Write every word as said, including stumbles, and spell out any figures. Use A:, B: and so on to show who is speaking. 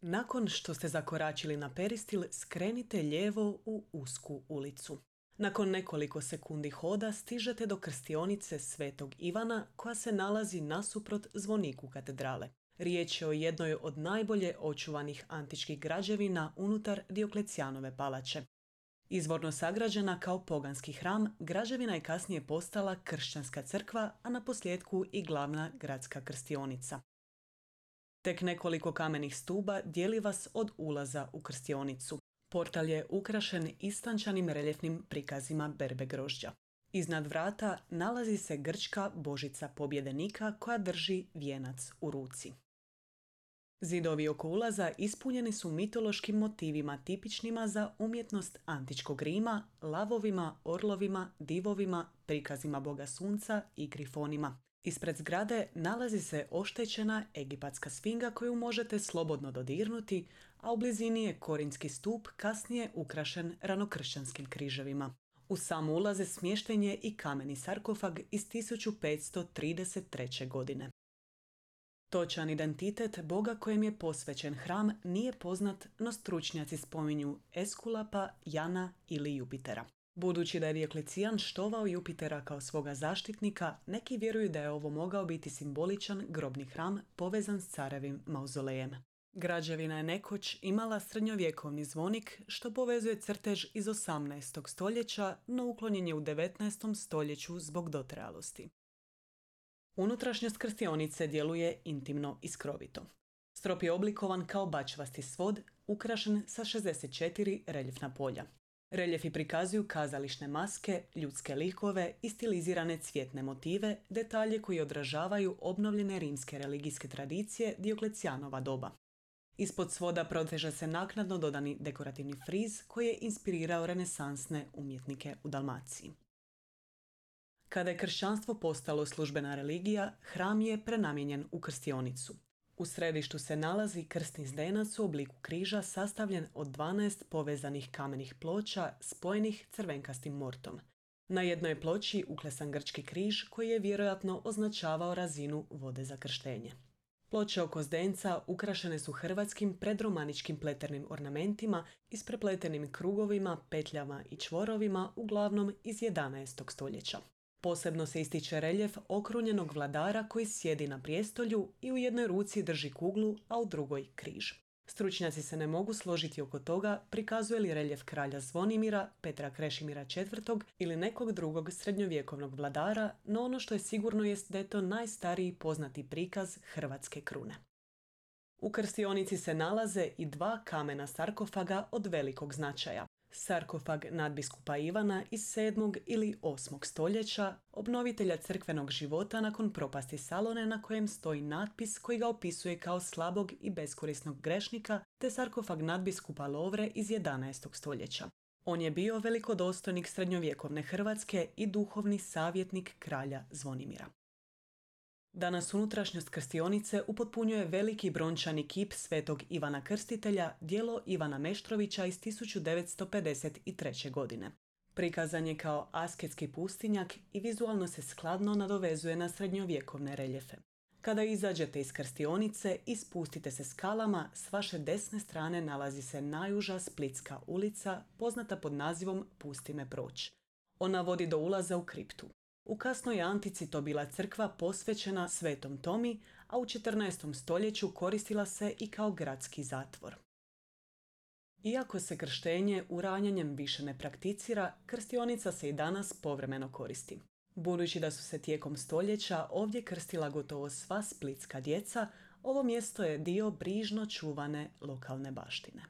A: Nakon što ste zakoračili na peristil, skrenite lijevo u usku ulicu. Nakon nekoliko sekundi hoda stižete do krstionice Svetog Ivana koja se nalazi nasuprot zvoniku katedrale. Riječ je o jednoj od najbolje očuvanih antičkih građevina unutar Dioklecijanove palače. Izvorno sagrađena kao poganski hram, građevina je kasnije postala kršćanska crkva, a naposljetku i glavna gradska krstionica. Tek nekoliko kamenih stuba dijeli vas od ulaza u krstionicu. Portal je ukrašen istančanim reljefnim prikazima berbe grožđa. Iznad vrata nalazi se grčka božica pobjedenika koja drži vijenac u ruci. Zidovi oko ulaza ispunjeni su mitološkim motivima tipičnima za umjetnost antičkog Rima, lavovima, orlovima, divovima, prikazima boga sunca i grifonima. Ispred zgrade nalazi se oštećena egipatska sfinga koju možete slobodno dodirnuti, a u blizini je korinski stup kasnije ukrašen ranokršćanskim križevima. U sam ulaze smješten je i kameni sarkofag iz tisuću petsto trideset treće. godine. Točan identitet boga kojem je posvećen hram nije poznat, no stručnjaci spominju Eskulapa, Jana ili Jupitera. Budući da je Dioklecijan štovao Jupitera kao svoga zaštitnika, neki vjeruju da je ovo mogao biti simboličan grobni hram povezan s carevim mauzolejem. Građevina je nekoć imala srednjovjekovni zvonik što povezuje crtež iz osamnaestog. stoljeća, no uklonjen je u devetnaestom. stoljeću zbog dotrajalosti. Unutrašnjost krstionice djeluje intimno i skrovito. Strop je oblikovan kao bačvasti svod, ukrašen sa šezdeset četiri reljefna polja. Reljefi prikazuju kazališne maske, ljudske likove i stilizirane cvjetne motive, detalje koji odražavaju obnovljene rimske religijske tradicije Dioklecijanova doba. Ispod svoda proteže se naknadno dodani dekorativni friz koji je inspirirao renesansne umjetnike u Dalmaciji. Kada je kršćanstvo postalo službena religija, hram je prenamijenjen u krstionicu. U središtu se nalazi krsni zdenac u obliku križa sastavljen od dvanaest povezanih kamenih ploča spojenih crvenkastim mortom. Na jednoj je ploči uklesan grčki križ koji je vjerojatno označavao razinu vode za krštenje. Ploče oko zdenca ukrašene su hrvatskim predromaničkim pleternim ornamentima isprepletenim krugovima, petljama i čvorovima, uglavnom iz jedanaestog. stoljeća. Posebno se ističe reljef okrunjenog vladara koji sjedi na prijestolju i u jednoj ruci drži kuglu, a u drugoj križ. Stručnjaci se ne mogu složiti oko toga prikazuje li reljef kralja Zvonimira, Petra Krešimira četvrtog. ili nekog drugog srednjovjekovnog vladara, no ono što je sigurno jest da je to najstariji poznati prikaz hrvatske krune. U krstionici se nalaze i dva kamena sarkofaga od velikog značaja. Sarkofag nadbiskupa Ivana iz sedmog ili osmog. stoljeća, obnovitelja crkvenog života nakon propasti Salone na kojem stoji natpis koji ga opisuje kao slabog i beskorisnog grešnika, te sarkofag nadbiskupa Lovre iz jedanaestog. stoljeća. On je bio velikodostojnik srednjovjekovne Hrvatske i duhovni savjetnik kralja Zvonimira. Danas unutrašnjost krstionice upotpunjuje veliki brončani kip Svetog Ivana Krstitelja, djelo Ivana Meštrovića iz tisuću devetsto pedeset treće. godine. Prikazan je kao asketski pustinjak i vizualno se skladno nadovezuje na srednjovjekovne reljefe. Kada izađete iz krstionice i spustite se skalama, s vaše desne strane nalazi se najuža Splitska ulica, poznata pod nazivom Pusti me proć. Ona vodi do ulaza u kriptu. U kasnoj antici to bila crkva posvećena Svetom Tomi, a u četrnaestom. stoljeću koristila se i kao gradski zatvor. Iako se krštenje uranjanjem više ne prakticira, krstionica se i danas povremeno koristi. Budući da su se tijekom stoljeća ovdje krstila gotovo sva splitska djeca, ovo mjesto je dio brižno čuvane lokalne baštine.